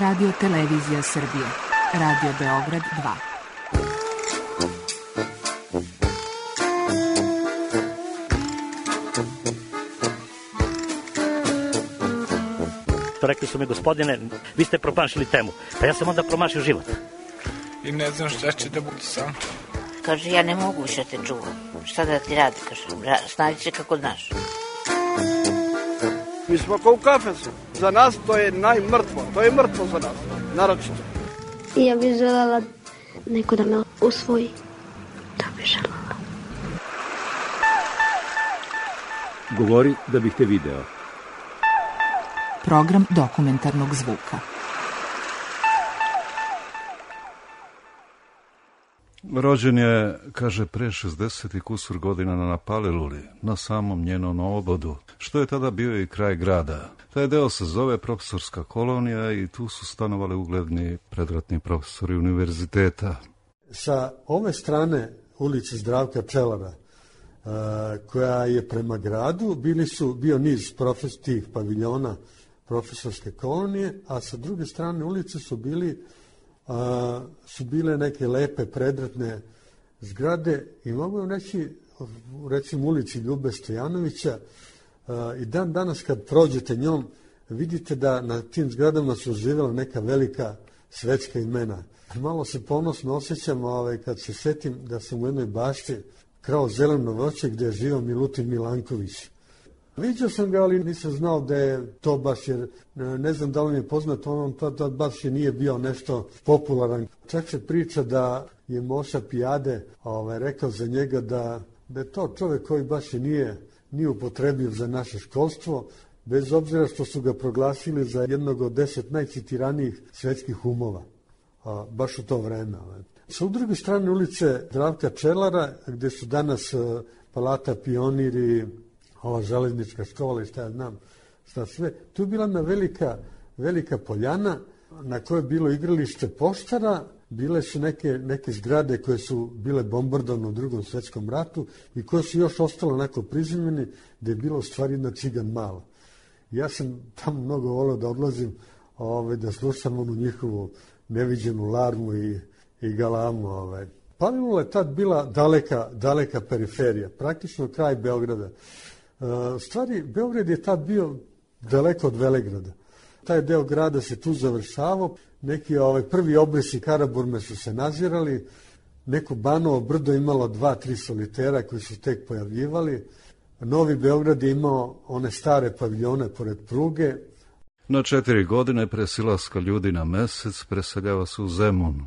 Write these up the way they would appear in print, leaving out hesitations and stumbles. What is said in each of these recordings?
Radio Televizija Srbije. Radio Beograd 2. Rekli su mi, gospodine, vi ste promašili temu. Pa ja sam onda promašio život. I ne znam šta će da bude sam. Kaže, ja ne mogu više te čuvam. Šta da ti radi, kaže, snađi se kako znaš. Mi smo kao u kafesu. Za nas to je najmrtvo. To je mrtvo za nas, naročito. I ja bih želela neko da me usvoji. To bih želela. Govori da bih te video. Program dokumentarnog zvuka. Rođen je, kaže, pre 60 i kusur godina na Paliluli, na samom njenom obodu, što je tada bio i kraj grada. Taj deo se zove profesorska kolonija i tu su stanovali ugledni predratni profesori univerziteta. Sa ove strane ulice Zdravka Čelara, koja je prema gradu, bio niz tih paviljona profesorske kolonije, a sa druge strane ulice su bile neke lepe predratne zgrade i mogu vam reći, recimo ulici Ljube Stojanovića, i dan danas kad prođete njom vidite da na tim zgradama su živjela neka velika svetska imena. Malo se ponosno osjećam kad se setim da sam u jednoj bašti krao zeleno voće gdje je živio Milutin Milanković. Viđao sam ga, ali nisam znao da je to baš, jer ne znam da li mi je poznato, on tad baš je nije bio nešto popularan. Čak se priča da je Moša Pijade rekao za njega da je to čovjek koji baš i nije upotrebljiv za naše školstvo, bez obzira što su ga proglasili za jednog od 10 najcitiranijih svetskih umova, baš u to vreme. Sa druge strane ulice Zdravka Čelara, gdje su danas Palata Pioniri, ova železnička škola i šta ja znam, šta sve. Tu je bila jedna velika poljana na kojoj je bilo igralište poštara, bile su neke zgrade koje su bile bombardovane u Drugom svjetskom ratu i koje su još ostale onako prizemljene, da je bilo u stvari jedna cigan mala. Ja sam tamo mnogo volio da odlazim, da slušam onu njihovu neviđenu larmu i galamu. Palilula je tad bila daleka periferija, praktično kraj Beograda. Stvari, Beograd je tad bio daleko od Velegrada. Taj deo grada se tu završavao, neki prvi obrisi Karaburme su se nazirali, neko Banovo brdo imalo 2-3 solitera koji su tek pojavljivali. Novi Beograd je imao one stare paviljone pored pruge. Na 4 godine pre silaska ljudi na mesec preseljava se u Zemun.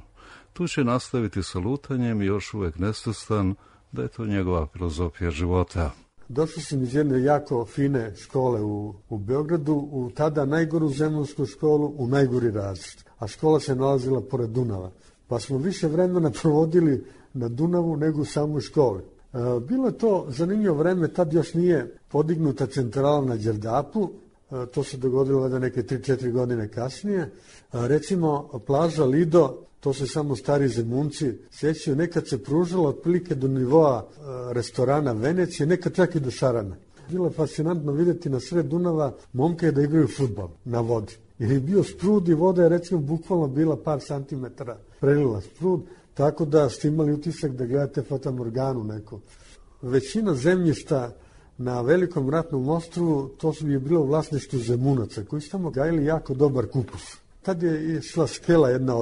Tu će nastaviti sa lutanjem i još uvek nesvestan da je to njegova filozofija života. Došao sam iz jedne jako fine škole u Beogradu, u tada najgoru zemunsku školu, u najgori razred. A škola se nalazila pored Dunava. Pa smo više vremena provodili na Dunavu nego u samoj školi. Bilo je to zanimljivo vreme, tad još nije podignuta centrala na Đerdapu, to se dogodilo da neke 3-4 godine kasnije. Recimo, plaža Lido, to se samo stari zemunci sjećaju, nekad se pružalo otprilike do nivoa restorana Venecije, nekad čak i do Šarana. Bilo je fascinantno vidjeti na sred Dunava momke da igraju fudbal na vodi. Jer je bio sprud i voda je recimo bukvalno bila par santimetara prelila sprud, tako da ste imali utisak da gledate fatamorganu neku. Većina zemljišta na Velikom ratnom ostrvu, to je bilo u vlasništvu Zemunaca, koji su tamo gajili jako dobar kupus. Tad je išla skela jedna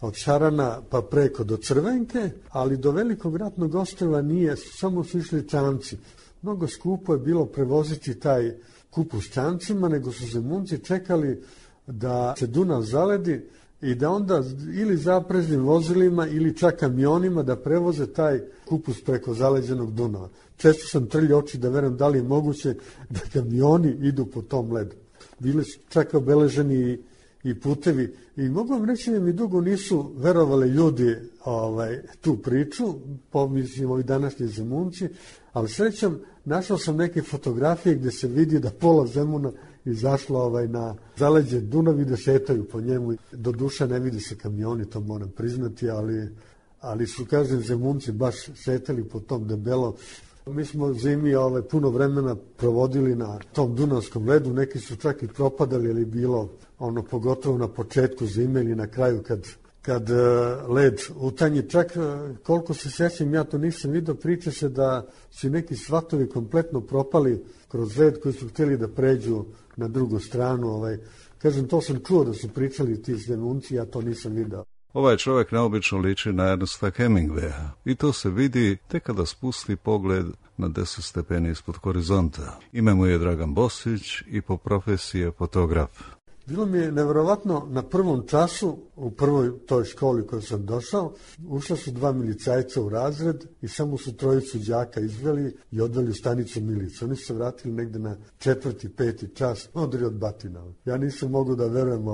od Šarana pa preko do Crvenke, ali do Velikog ratnog ostrva nije, samo su išli čamci. Mnogo skupo je bilo prevoziti taj kupus čamcima, nego su Zemunci čekali da se Dunav zaledi i da onda ili zaprežnim vozilima ili čak kamionima da prevoze taj kupus preko zaleđenog Dunava. Često sam trljio oči da verujem da li je moguće da kamioni idu po tom ledu. Bili su čak obeleženi i putevi. I mogu vam reći da mi dugo nisu verovali ljudi tu priču, pomislim ovi današnji Zemunci, ali srećom našao sam neke fotografije gdje se vidi da pola Zemuna izašlo na zaleđe Dunav i da šetaju po njemu. Do duše ne vidi se kamioni, to moram priznati, ali su, kažem, Zemunci baš šetali po tom debelo Mi smo zimi puno vremena provodili na tom dunavskom ledu, neki su čak i propadali, ali bilo pogotovo na početku zime ili na kraju kad led utanji. Čak koliko se sjećam, ja to nisam vidio, priča se da su neki svatovi kompletno propali kroz led koji su htjeli da pređu na drugu stranu. Kažem, to sam čuo da su pričali ti zvenunci, ja to nisam vidio. Ovaj čovjek neobično liči na Ernesta Hemingwaya i to se vidi tek kada spusti pogled na 10 stepeni ispod horizonta. Ime mu je Dragan Bosić i po profesiji je fotograf. Bilo mi je nevjerovatno, na prvom času, u prvoj toj školi koju sam došao, ušla su 2 milicajca u razred i samo su 3 đaka izveli i odveli u stanicu milice. Oni su se vratili negde na 4., 5. čas, odri od batina. Ja nisam mogao da verujem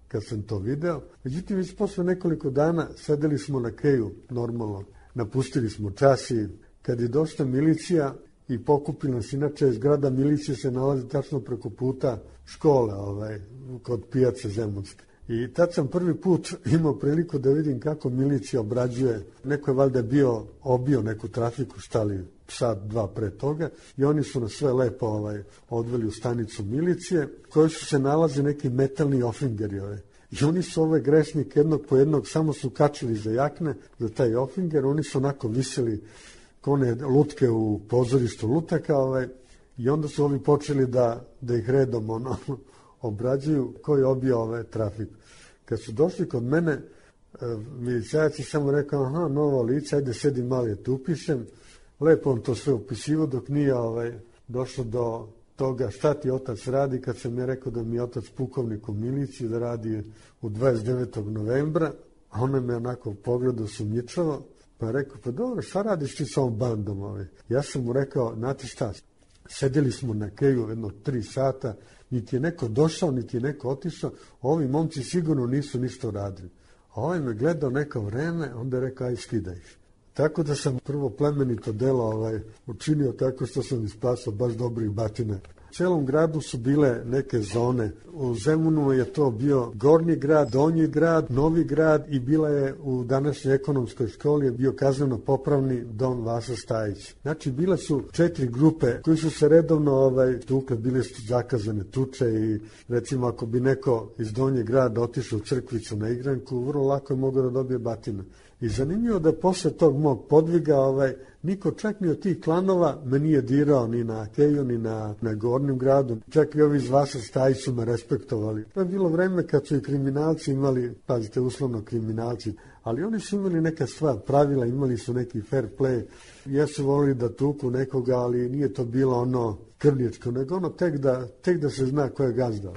kad sam to video. Međutim, već posle nekoliko dana sedeli smo na keju, normalno. Napustili smo čas i kad je došla milicija i pokupila nas, inače zgrada milicije se nalazi tačno preko puta škole, kod pijace Zemunske. I tad sam prvi put imao priliku da vidim kako milicija obrađuje. Neko je valjda obio neku trafiku, stali sat, 2 pre toga, i oni su nas sve lepo odveli u stanicu milicije, koji su se nalazi neki metalni ofingeri. I oni su grešnike jednog po jednog samo su kačili za jakne, za taj ofinger, oni su onako viseli kone lutke u pozorištu lutaka, i onda su ovi počeli da ih redom obrađuju koji je obio trafiku. Kad su došli kod mene, milicajac je samo rekao, aha, novo lice, ajde sedi malo je tu upišem. Lepo on to sve upisivo dok nije došlo do toga šta ti otac radi, kad sam ja rekao da mi je otac pukovnik u miliciji, da radi u 29. novembra, a on me onako pogledao sumnjičavo, pa je rekao, pa dobro, šta radiš ti sa ovom bandom? Ja sam mu rekao, znate šta, sedeli smo na keju jedno 3 sata, niti je neko došao, niti je neko otišao, ovi momci sigurno nisu ništa radili. A ovaj me gledao neko vreme, onda je rekao, aj skidaj ih. Tako da sam prvo plemenito delo učinio tako što sam ispasao baš dobrih batina. U celom gradu su bile neke zone. U Zemunu je to bio Gornji grad, Donji grad, Novi grad i bila je u današnjoj ekonomskoj školi je bio kazneno-popravni Don Vasa Stajić. Znači, bile su 4 grupe koji su se redovno tukle, bile su zakazane tuče i recimo ako bi neko iz Donjeg grada otišao u Crkvicu na igranku, vrlo lako je mogao da dobije batina. I zanimljivo da posle tog mog podviga niko čak ni od tih klanova me nije dirao ni na keju, ni na Gornjem gradu. Čak i ovi iz Vasa Stajić su me respektovali. To je bilo vreme kad su i kriminalci imali, pazite, uslovno kriminalci, ali oni su imali neka sva pravila, imali su neki fair play. Jesu volili da tuku nekoga, ali nije to bilo krvničko, nego tek da se zna ko je gazda.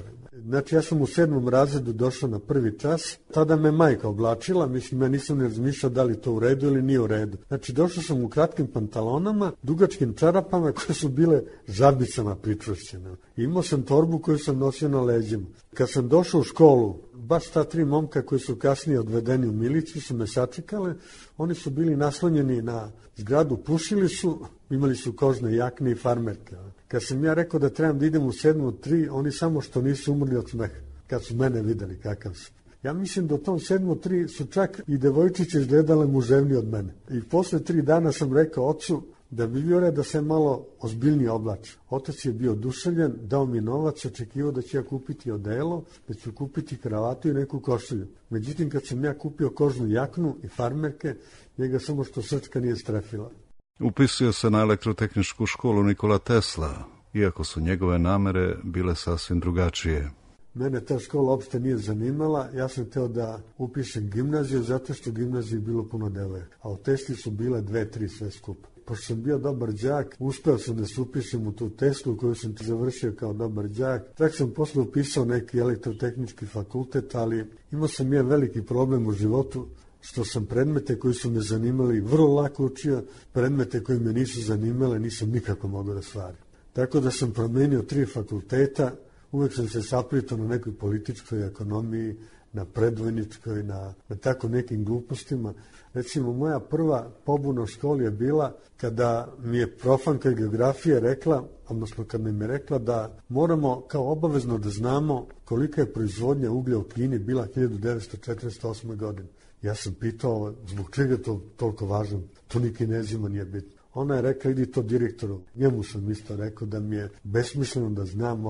Znači, ja sam u 7. razredu došao na prvi čas, tada me majka oblačila, mislim, ja nisam ne razmišljao da li to u redu ili nije u redu. Znači, došao sam u kratkim pantalonama, dugačkim čarapama koje su bile žabicama pričvršćene. Imao sam torbu koju sam nosio na leđima. Kad sam došao u školu, baš ta 3 momka koji su kasnije odvedeni u miliciju su me sačekale, oni su bili naslonjeni na zgradu, pušili su, imali su kožne jakne i farmerke. Kad sam ja rekao da trebam da idem u 7.3, oni samo što nisu umrli od smeha, kad su mene videli kakav sam. Ja mislim da u tom 7.3 su čak i devojčice izgledale muževnije od mene. I posle 3 dana sam rekao ocu da bi bio red da se malo ozbiljnije oblači. Otac je bio oduševljen, dao mi novac, očekivao da ću ja kupiti odelo, da ću kupiti kravatu i neku košulju. Međutim, kad sam ja kupio kožnu jaknu i farmerke, njega samo što srčka nije strefila. Upisuje se na elektrotehničku školu Nikola Tesla, iako su njegove namere bile sasvim drugačije. Mene ta škola uopšte nije zanimala, ja sam hteo da upišem gimnaziju, zato što u gimnaziji je bilo puno devojaka, a u Tesli su bile 2-3 sve skupa. Pošto sam bio dobar đak, uspeo sam da se upišem u tu Teslu koju sam završio kao dobar đak. Tako sam posle upisao neki elektrotehnički fakultet, ali imao sam jedan veliki problem u životu, što sam predmete koji su me zanimali vrlo lako učio, predmete koji me nisu zanimale nisam nikako mogao da stvarim. Tako da sam promenio 3 fakulteta, uvek sam se saplitao na nekoj političkoj ekonomiji, na predvojničkoj, na tako nekim glupostima. Recimo, moja prva pobuna u školi je bila kada mi je profanka geografije rekla, odnosno kad mi je rekla da moramo kao obavezno da znamo kolika je proizvodnja uglja u Kini bila 1948. godine. Ja sam pitao zbog čega je to toliko važno, to ni Kinezima nije bitno. ona je rekla idi to direktoru. Njemu sam isto rekao da mi je besmisleno da znam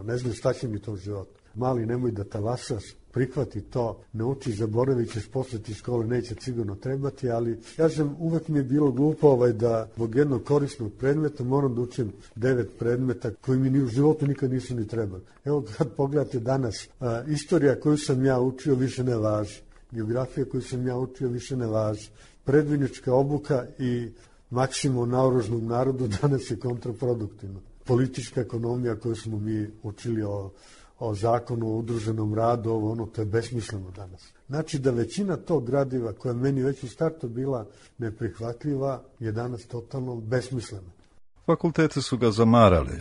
ne znam šta će mi to u životu. Mali, nemoj da talasaš, prihvati to, nauči, zaboravit ćeš, posle ti škole neće sigurno trebati, ali kažem, uvek mi je bilo glupo da zbog jednog korisnog predmeta moram da učim 9 predmeta koji mi ni u životu nikad nisu ni trebali. Evo kad pogledate danas, istorija koju sam ja učio više ne važi, geografija koju sam ja učio više ne važi, predvojnička obuka i maksimum naoružnog narodu danas je kontraproduktivno. Politička ekonomija koju smo mi učili o zakonu o udruženom radu, to je besmisleno danas. Znači da većina tog gradiva koja meni već u startu bila neprihvatljiva je danas totalno besmislena. Fakultete su ga zamarali.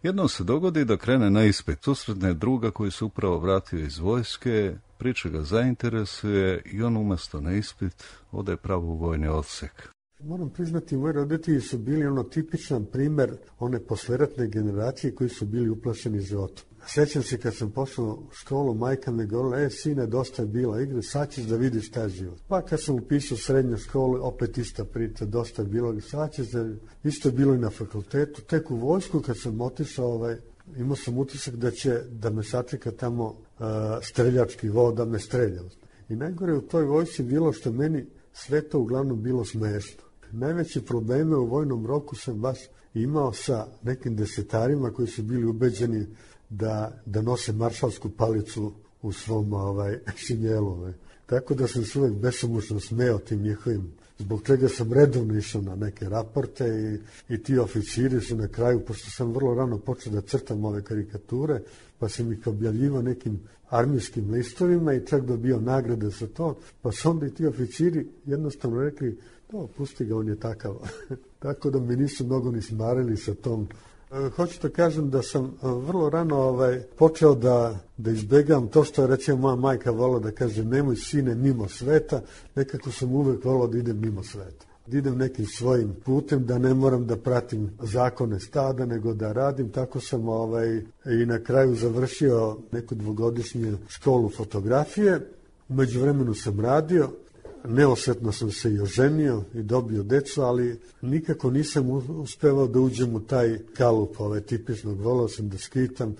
Jednom se dogodi da krene na ispit, susretne druga koji se upravo vratio iz vojske, priča ga zainteresuje i on umjesto na ispit ode pravo u vojni odsek. Moram priznati, moji roditelji su bili tipičan primer one posleratne generacije koji su bili uplašeni životom. Sjećam se kad sam pošao u školu, majka me govorila, sine, dosta je bila igre, sad ćeš da vidiš šta je život. Pa kad sam upisao srednju školu, opet ista priča, dosta je bilo, sad ćeš isto je bilo i na fakultetu. Tek u vojsku kad sam otišao, imao sam utisak da me sačeka tamo streljački vod, da me strelja. I najgore u toj vojsci bilo što meni sve to uglavnom bilo smešno. Najveće probleme u vojnom roku sam baš imao sa nekim desetarima koji su bili ubeđeni da nose maršalsku palicu u svom šinjelu. Tako da sam se uvek besomučno smeo tim njihovim, zbog čega sam redovno išao na neke raporte i ti oficiri su na kraju, pošto sam vrlo rano počeo da crtam ove karikature, pa sam ih objavljivao nekim armijskim listovima i čak dobio nagrade za to, pa su onda i ti oficiri jednostavno rekli, pusti ga, on je takav. Tako da mi nisu mnogo ni smarili sa tom. Hoću da kažem da sam vrlo rano počeo da izbegam to što je recimo moja majka volila da kaže nemoj sine mimo sveta, nekako sam uvek volao da idem mimo sveta. Da idem nekim svojim putem, da ne moram da pratim zakone stada, nego da radim. Tako sam i na kraju završio neku 2-godišnju školu fotografije. U međuvremenu sam radio. Neosvetno sam se i oženio i dobio decu, ali nikako nisam uspevao da uđem u taj kalup tipičnog. Volao sam da skitam,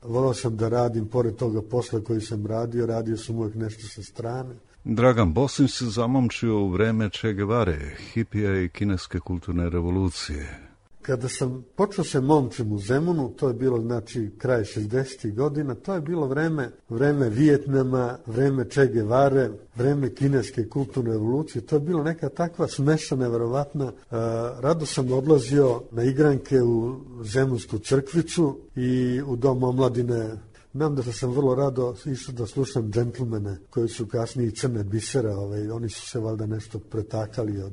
volao sam da radim, pored toga posla koji sam radio sam uvijek nešto sa strane. Dragan Bosin se zamomčio u vreme Che Guevare, hipija i kineske kulturne revolucije. Kada sam počeo se momčem u Zemunu, to je bilo kraj 60. godina, to je bilo vreme Vijetnama, vreme Che Guevare, vreme kineske kulturne revolucije, to je bilo neka takva smeša neverovatna. Rado sam odlazio na igranke u Zemunsku crkvicu i u Dom omladine. Znam da sam vrlo rado išao da slušam džentlmene koji su kasnije Crne bisera, oni su se valjda nešto pretakali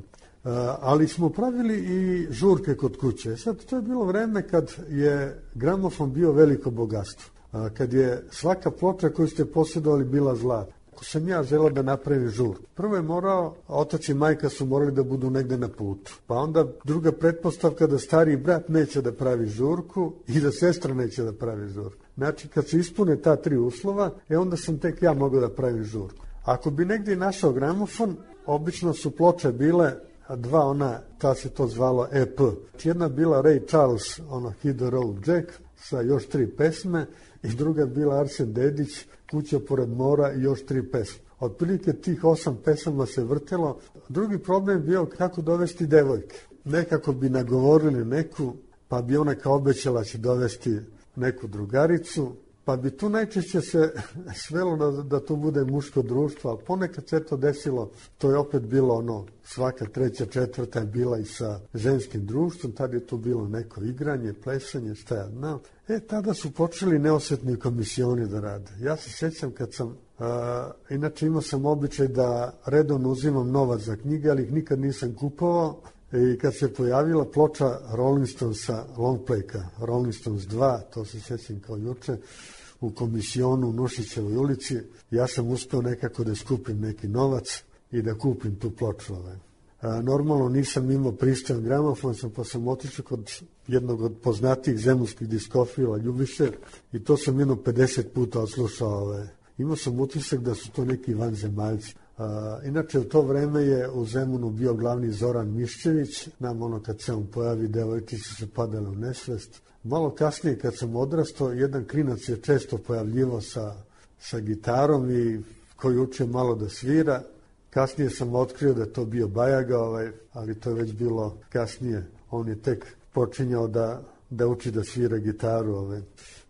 ali smo pravili i žurke kod kuće. Sad, to je bilo vreme kad je gramofon bio veliko bogatstvo. Kad je svaka ploča koju ste posjedovali bila zlata. Ako sam ja želeo da napravim žurku, prvo je morao, otac i majka su morali da budu negde na putu. Pa onda druga pretpostavka da stariji brat neće da pravi žurku i da sestra neće da pravi žurku. Znači, kad se ispune ta 3 uslova, onda sam tek ja mogao da pravim žurku. Ako bi negdje našao gramofon, obično su ploče bile 2 ta se to zvalo EP. Jedna bila Ray Charles, Hit the Road Jack, sa još 3 pesme, i druga bila Arsen Dedić, Kuća pored mora i još 3 pesme. Otprilike tih 8 pesama se vrtelo. Drugi problem bio kako dovesti devojke. Nekako bi nagovorili neku, pa bi ona kao obećala će dovesti neku drugaricu, pa bi tu najčešće se svelo da to bude muško društvo, ali ponekad se to desilo, to je opet bilo svaka 3., 4. je bila i sa ženskim društvom, tad je tu bilo neko igranje, plesanje, šta ja znam. Tada su počeli neosvetni komisioni da rade. Ja se sjećam kad sam, inače imao sam običaj da redovno uzimam novac za knjige, ali ih nikad nisam kupovao. I kad se pojavila ploča Rolling Stonesa, longplayka, Rolling Stones 2, to se sjećam kao juče, u komisionu u Nušićevoj ulici, ja sam uspeo nekako da skupim neki novac i da kupim tu ploču. Normalno nisam imao pristojan gramofon, pa sam otišao kod jednog od poznatijih zemunskih diskofila, Ljubiše, i to sam 50 puta odslušao. Imao sam utisak da su to neki vanzemaljci. Inače, u to vreme je u Zemunu bio glavni Zoran Miščević. Nam kad se on pojavi, devojčice su se padale u nesvest. Malo kasnije, kad sam odrastao, jedan klinac je često pojavljivao sa gitarom i koji učio malo da svira. Kasnije sam otkrio da je to bio Bajaga, ali to je već bilo kasnije. On je tek počinjao da uči da svira gitaru.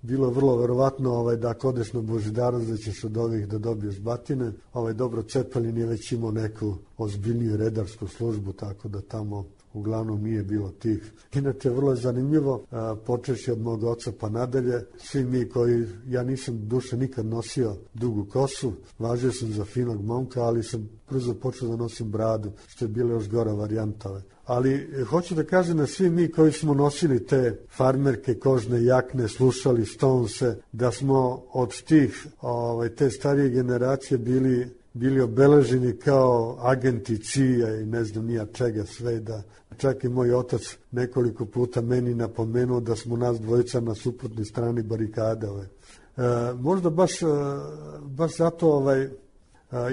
Bilo je vrlo verovatno da ako odeš na Božidarovac da ćeš od ovih da dobiješ batine. Dobro, Cepelin je već imao neku ozbiljniju redarsku službu, tako da tamo uglavnom nije bilo tih. Inače, vrlo je zanimljivo, počeši od mog oca pa nadalje, svi mi koji, ja nisam duše nikad nosio dugu kosu, važio sam za finog momka, ali sam brzo počeo da nosim bradu, što je bila još gora varijanta. Ali hoću da kažem da svi mi koji smo nosili te farmerke, kožne jakne, slušali Stonese, da smo od tih, te starije generacije bili obeleženi kao agenti CIA i ne znam nija čega sve, da čak i moj otac nekoliko puta meni napomenuo da smo nas dvojica na suprotnoj strani barikade. Možda baš zato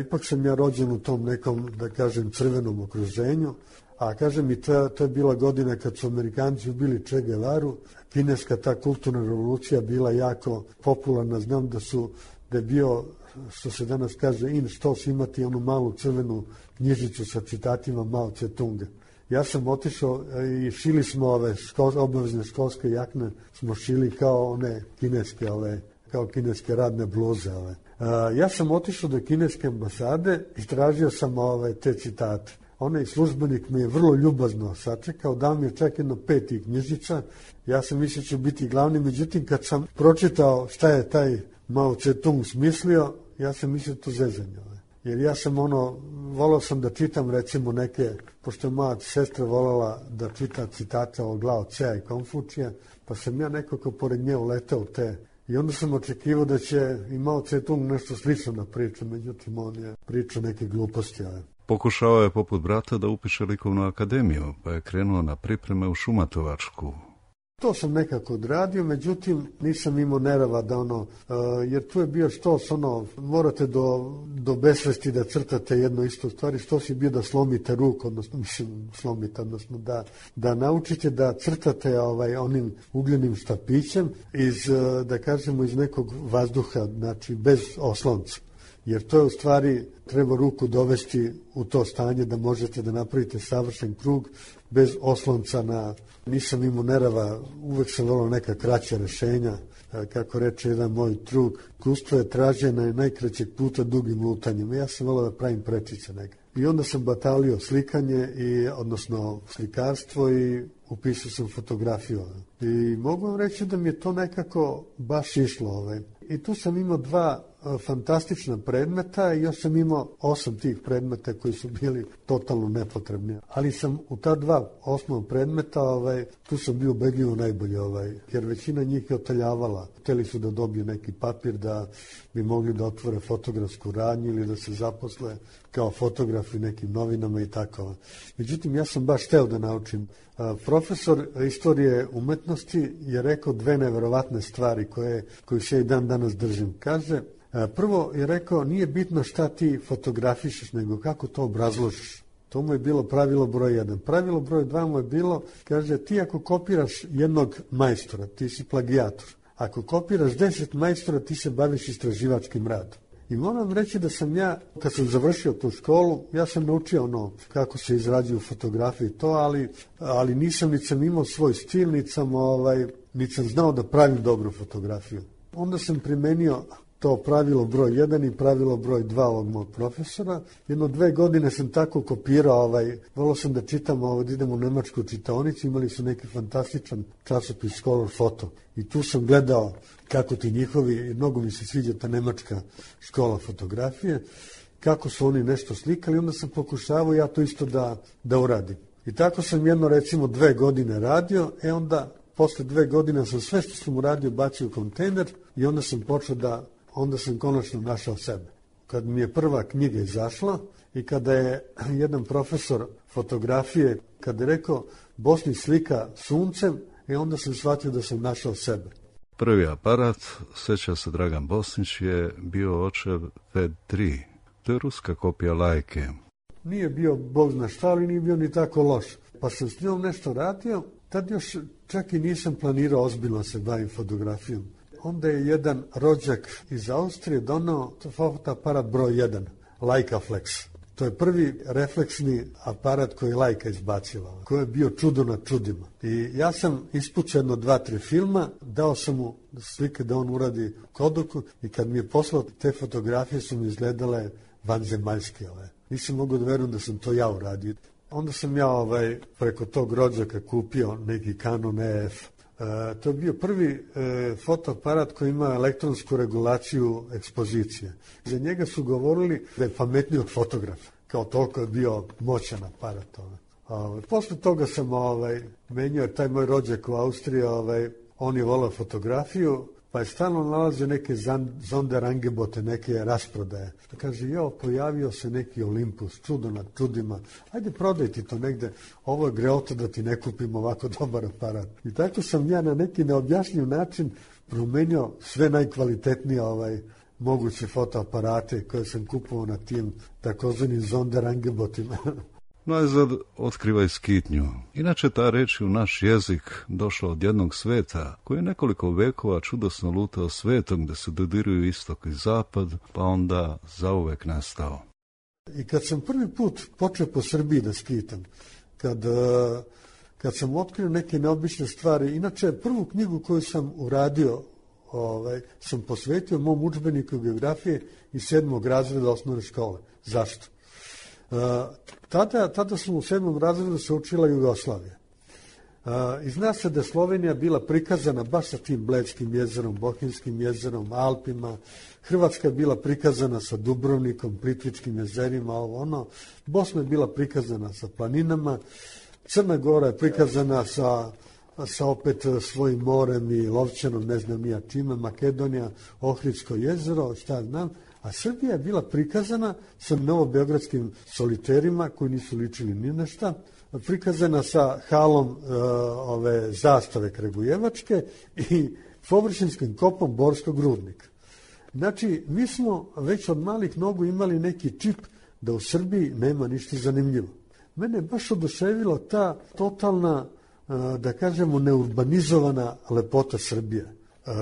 ipak sam ja rođen u tom nekom, da kažem, crvenom okruženju, a kažem i to je bila godina kad su Amerikanci ubili Che Guevaru, kineska ta kulturna revolucija bila jako popularna, znam da je bio, što se danas kaže, in štos, imati onu malu crvenu knjižicu sa citatima Mao Tse-tunga. Ja sam otišao i šili smo obavezne školske jakne, smo šili kao one kineske, kao kineske radne bluze. Ja sam otišao do kineske ambasade i tražio sam te citate. Onaj službenik me je vrlo ljubazno sačekao, dao mi je čak jedno 5 tih knjižica. Ja sam mislio će biti glavni, međutim kad sam pročitao šta je taj Mao Tse-tung smislio, ja sam mislio to zezanje. Jer ja sam volao sam da čitam recimo neke, pošto je moja sestra voljela da čita citate od Lao Tsea i Konfučija, pa sam ja nekako pored nje uletao te. I onda sam očekivao da će i Mao Tse-tung nešto slično na priču, međutim on je pričao neke gluposti. Pokušao je poput brata da upiše likovnu akademiju, pa je krenuo na pripreme u Šumatovačku. To sam nekako odradio, međutim nisam imao nerava da jer tu je bio štos, morate do besvesti da crtate jedno isto stvari, štos je bio da slomite ruku, odnosno da naučite da crtate onim ugljenim štapićem da kažemo iz nekog vazduha, znači bez oslonca. Jer to je u stvari, treba ruku dovesti u to stanje da možete da napravite savršen krug bez oslonca nisam imao nerava, uvek sam volao neka kraća rešenja, kako reče jedan moj drug, iskustvo je traženje najkraćeg puta dugim lutanjem. Ja sam volao da pravim prečice neka. I onda sam batalio slikanje, odnosno slikarstvo i upisao sam fotografiju. I mogu vam reći da mi je to nekako baš išlo. I tu sam imao 2 fantastična predmeta i još sam imao 8 tih predmeta koji su bili totalno nepotrebni. Ali sam u ta 2 osnovna predmeta, tu sam bio ubedljivo najbolji, jer većina njih je otaljavala. Hteli su da dobiju neki papir da bi mogli da otvore fotografsku radnju ili da se zaposle kao fotografi nekim novinama i tako. Međutim, ja sam baš hteo da naučim. Profesor istorije umetnosti je rekao 2 neverovatne stvari koje se i dan danas držim. Kaže, prvo je rekao, nije bitno šta ti fotografišeš, nego kako to obrazložiš. To mu je bilo pravilo broj 1. Pravilo broj 2 mu je bilo, kaže, ti ako kopiraš jednog majstora, ti si plagijator. Ako kopiraš 10 majstora, ti se baviš istraživačkim radom. I moram reći da sam ja, kad sam završio tu školu, ja sam naučio kako se izrađuju fotografije i to, ali nisam, niti sam imao svoj stil, niti sam znao da pravim dobru fotografiju. Onda sam primenio to pravilo broj 1 i pravilo broj 2 ovog mog profesora. 1-2 godine sam tako kopirao, volao sam da čitam, da idem u nemačku čitaonicu, imali su neki fantastičan časopis Scholar Photo. I tu sam gledao kako ti njihovi, mnogo mi se sviđa ta nemačka škola fotografije, kako su oni nešto slikali, onda sam pokušavao ja to isto da uradim. I tako sam recimo 2 godine radio, onda posle 2 godine sam sve što sam uradio bacio u kontejner i onda sam onda sam konačno našao sebe. Kad mi je prva knjiga izašla i kada je jedan profesor fotografije, kada je rekao Bosni slika suncem, onda sam shvatio da sam našao sebe. Prvi aparat, seća se Dragan Bosnić, je bio očev VED 3. To je ruska kopija Lajke. Nije bio bog zna šta, ali nije bio ni tako loš. Pa sam s njom nešto radio, tad još čak i nisam planirao ozbiljno se bavim fotografijom. Onda je jedan rođak iz Austrije donao fotoaparat broj 1, Leica Flex. To je prvi refleksni aparat koji je Leica izbacila, koji je bio čudo na čudima. I ja sam ispucao jedno 2-3 filma, dao sam mu slike da on uradi Kodaku i kad mi je poslao te fotografije su mi izgledale vanzemaljske. Nisam mogu da verujem da sam to ja uradio. Onda sam ja preko tog rođaka kupio neki Canon EF. To je bio prvi fotoaparat koji ima elektronsku regulaciju ekspozicije. Za njega su govorili da je pametniji od fotografa. Kao toliko je bio moćan aparat. Posle toga sam menjao taj moj rođak u Austriji, on je volao fotografiju, pa je stalno nalazio neke Sonderangebote, neke rasprodaje. Kaže, pojavio se neki Olympus, čudo nad čudima, ajde prodaj ti to negde, ovo je greota da ti ne kupim ovako dobar aparat. I tako sam ja na neki neobjašnjiv način promenio sve najkvalitetnije moguće fotoaparate koje sam kupovao na tim takozvanim Sonderangebotima. Najzad otkrivaj skitnju. Inače ta reč je u naš jezik došla od jednog sveta koji je nekoliko vekova čudosno lutao svetom gde se dodiruju istok i zapad, pa onda zauvek nestao. I kad sam prvi put počeo po Srbiji da skitam, kad sam otkrio neke neobične stvari, inače prvu knjigu koju sam uradio sam posvetio mom udžbeniku geografije iz 7. razreda osnovne škole. Zašto? Tada smo u 7. razredu se učila Jugoslavija. I zna se da je Slovenija bila prikazana baš sa tim Bledskim jezerom, Bohinjskim jezerom, Alpima. Hrvatska je bila prikazana sa Dubrovnikom, Plitvičkim jezerima, Bosna je bila prikazana sa planinama. Crna Gora je prikazana sa opet svojim morem i Lovćanom, ne znam nija čime, Makedonija, Ohridsko jezero, šta znam. A Srbija je bila prikazana sa novobeogradskim soliterima koji nisu ličili ni na šta, prikazana sa halom zastave Kragujevačke i površinskim kopom Borskog rudnika. Znači, mi smo već od malih nogu imali neki čip da u Srbiji nema ništa zanimljivo. Mene je baš oduševila ta totalna, da kažemo, neurbanizovana lepota Srbije.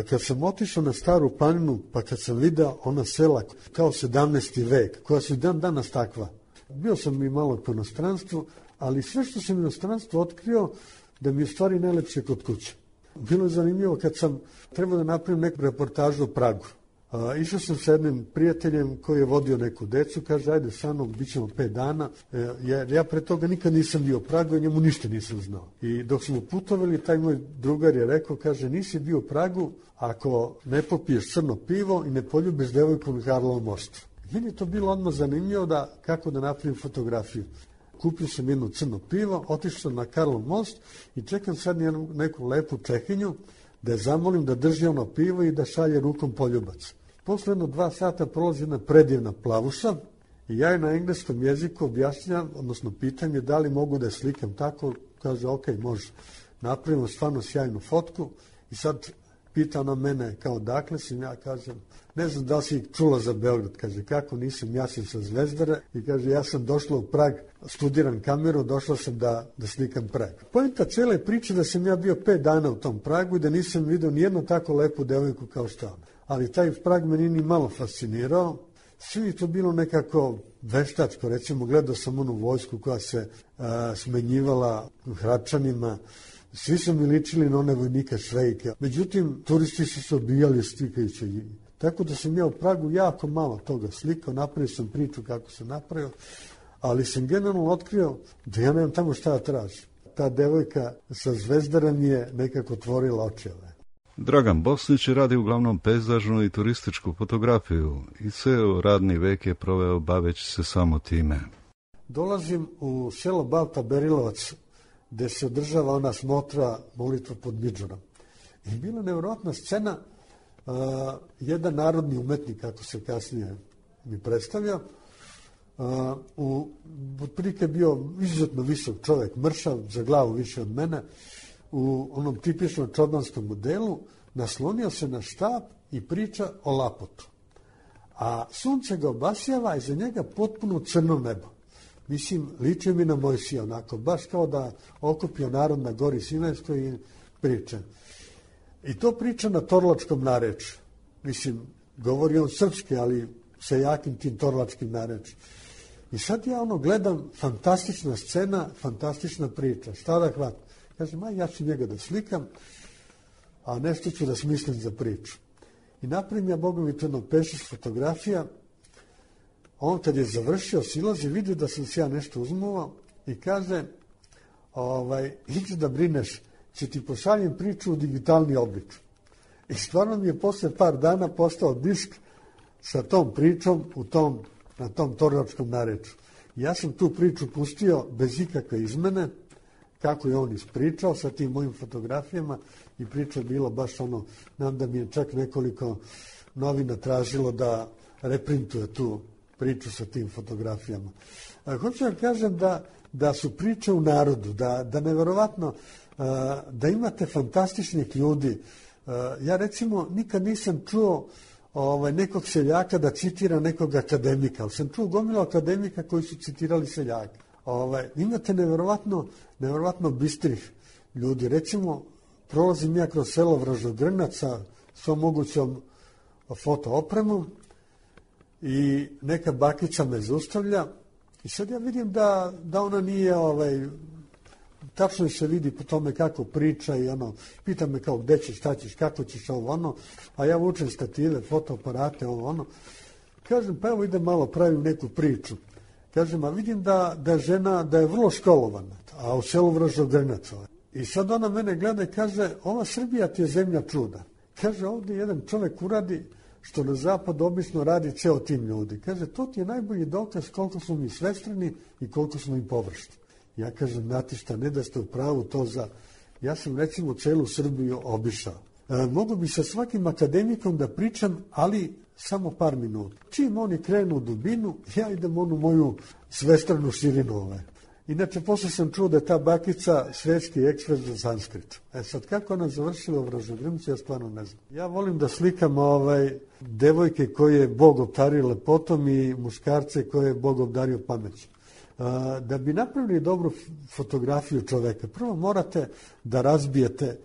Kad sam otišao na Staru planinu, pa kad sam video ona sela kao 17. vek, koja su dan danas takva. Bio sam i malo po inostranstvu, ali sve što sam u inostranstvu otkrio, da mi je stvari najlepše kod kuće. Bilo je zanimljivo kad sam trebao da napravim neku reportažu o Pragu. Išao sam sa jednim prijateljem koji je vodio neku decu, kaže, ajde sa mnom, bit ćemo 5 dana, jer ja pre toga nikad nisam bio u Pragu i njemu ništa nisam znao. I dok smo putovali, taj moj drugar je rekao, kaže, nisi bio u Pragu ako ne popiješ crno pivo i ne poljubiš devojku na Karlovom mostu. Meni je to bilo odmah zanimljivo kako da napravim fotografiju. Kupio sam jedno crno pivo, otišao sam na Karlov most i čekam sad neku lepu Čehinju da je zamolim da drži ono pivo i da šalje rukom poljubac. Posle 2 sata prolazi jedna predivna plavuša i ja je na engleskom jeziku objašnjam, odnosno pitam je da li mogu da je slikam tako, kaže ok, može. Napravimo stvarno sjajnu fotku i sad pita ona mene kao dakle sam, ja kažem, ne znam da li si čula za Beograd, kaže kako nisam, ja sam sa Zvezdara i kaže ja sam došla u Prag, studiram kameru, došla sam da slikam Prag. Poenta cele priče da sam ja bio 5 dana u tom Pragu i da nisam vidio nijednu tako lepu devojku kao što ona. Ali taj Prag me nije ni malo fascinirao, svi to bilo nekako veštačko, recimo gledao sam onu vojsku koja se smenjivala hračanima, svi su mi ličili na one vojnike Švejke. Međutim, turisti su se odbijali slikajući. Tako da sam ja u Pragu jako malo toga slikao, napravio sam priču kako sam napravio, ali sam generalno otkrio da ja nemam tamo šta da tražim. Ta devojka sa Zvezdara mi je nekako otvorila očeve. Dragan Bosnić radi uglavnom pejzažnu i turističku fotografiju i ceo radni vek je proveo baveći se samo time. Dolazim u selo Balta Berilovac, gde se održava ona smotra molitva pod Midžurom. I bila nevjerojatna scena, jedan narodni umetnik, kako se kasnije mi predstavlja, otprilike je bio izuzetno visok čovjek, mršav, za glavu više od mene, u onom tipičnom čobanskom modelu, naslonio se na štap i priča o lapotu. a sunce ga obasjava i za njega potpuno crno nebo. Mislim, liči mi na Mojsija, onako, baš kao da okupio narod na gori Sinajskoj i priča. I to priča na torlačkom narečju. Mislim, govori on srpski, ali sa jakim tim torlačkim narečjem. I sad ja gledam, fantastična scena, fantastična priča. Šta da hvatam? Kažem, ja ću njega da slikam, a nešto ću da smislim za priču. I napravim ja bogovičano pešeš fotografija. On kad je završio, silazi, vidi da sam se ja nešto uzmuvao i kaže, ići da brineš, će ti pošaljem priču u digitalni oblik. I stvarno mi je posle par dana postao disk sa tom pričom na tom torlačkom narečju. Ja sam tu priču pustio bez ikakve izmene, kako je on ispričao sa tim mojim fotografijama i priča je bilo baš znam da mi je čak nekoliko novina tražilo da reprintuje tu priču sa tim fotografijama. Hoću da kažem da su priče u narodu, da neverovatno, da imate fantastičnih ljudi. Ja recimo nikad nisam čuo nekog seljaka da citira nekog akademika, ali sam čuo gomilu akademika koji su citirali seljaka. Imate neverovatno bistrih ljudi. Recimo, prolazim ja kroz selo Vražogrnac sa svom mogućom fotoopremom i neka bakica me zaustavlja i sad ja vidim da ona nije, tačno se vidi po tome kako priča i pita me kao gde ćeš, šta ćeš, kako ćeš, a ja vučem stative, fotoaparate, Kažem, pa evo idem malo, pravim neku priču. Kažem, a vidim da je žena, da je vrlo školovana, a u selu Vražogrnac. I sad ona mene gleda i kaže, ova Srbija ti je zemlja čuda. Kaže, ovdje jedan čovek uradi što na zapadu obično radi ceo tim ljudi. Kaže, to ti je najbolji dokaz koliko smo mi svestrani i koliko smo im površni. Ja kažem, znate šta, ne da ste u pravu to za... Ja sam recimo celu Srbiju obišao. Mogu bi sa svakim akademikom da pričam, ali samo par minuta. Čim oni krenu u dubinu, ja idem onu moju svestranu širinu. Inače, posle sam čuo da je ta bakica svetski ekspert za sanskrit. Sad, kako ona završila u Vražogrncu, ja stvarno ne znam. Ja volim da slikam devojke koje je Bog obdario lepotom i muškarce koje je Bog obdario pameću. Da bi napravili dobru fotografiju čoveka, prvo morate da razbijete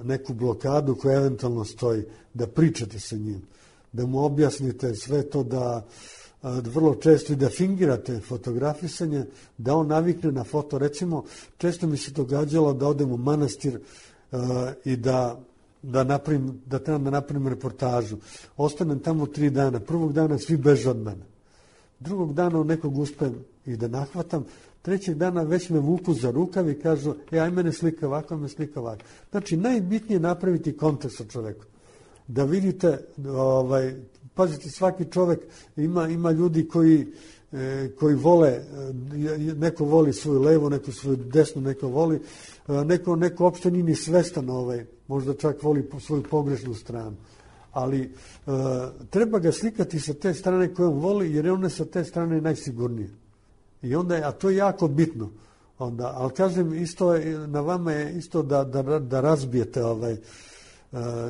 neku blokadu koja eventualno stoji, da pričate sa njim, da mu objasnite sve to, da vrlo često i da fingirate fotografisanje, da on navikne na foto. Recimo, često mi se događalo da odem u manastir i da trebam da napravim reportažu. Ostanem tamo 3 dana. Prvog dana svi beže od mene. Drugog dana nekog uspem i da nahvatam. 3. dana već me vuku za rukav i kažu, aj mene slika ovako, me slika ovako. Znači, najbitnije je napraviti kontakt sa čovekom. Da vidite, pazite, svaki čovek ima ljudi koji vole, neko voli svoju levu, neko svoju desnu, neko voli, neko uopšte nije ni svestan, možda čak voli svoju pogrešnu stranu. Ali treba ga slikati sa te strane koje on voli, jer on je sa te strane najsigurnije. I onda, a to je jako bitno. Ali kažem, isto na vama je isto da razbijete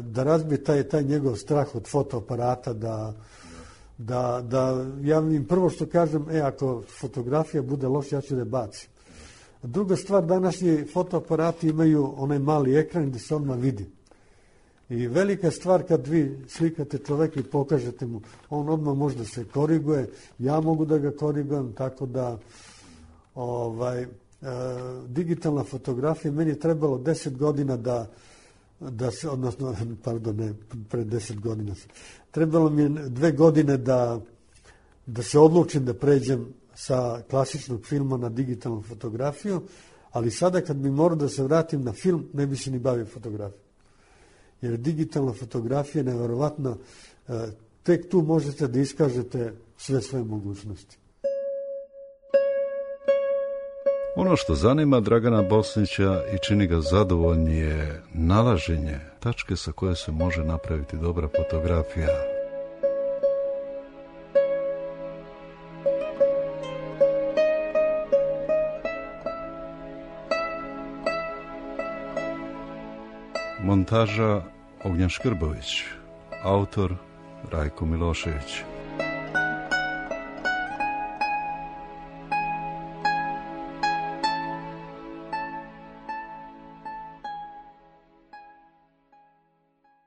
da razbije taj njegov strah od fotoaparata, da ja im prvo što kažem, ako fotografija bude loša, ja ću da je bacim. Druga stvar, današnji fotoaparati imaju onaj mali ekran gde se odmah vidi. I velika stvar kad vi slikate čoveka i pokažete mu, on odmah može da se koriguje, ja mogu da ga korigujem, tako da digitalna fotografija, meni je trebalo 10 godina da se, odnosno, pardon, ne, pre 10 godina. Trebalo mi je 2 godine da se odlučim da pređem sa klasičnog filma na digitalnu fotografiju, ali sada kad bi morao da se vratim na film, ne bi se ni bavio fotografijom. Jer digitalna fotografija je neverovatna, tek tu možete da iskažete sve svoje mogućnosti. Ono što zanima Dragana Bosnića i čini ga zadovoljni je nalaženje tačke sa koje se može napraviti dobra fotografija. Montaža Ognjen Škrbović, autor Rajko Milošević.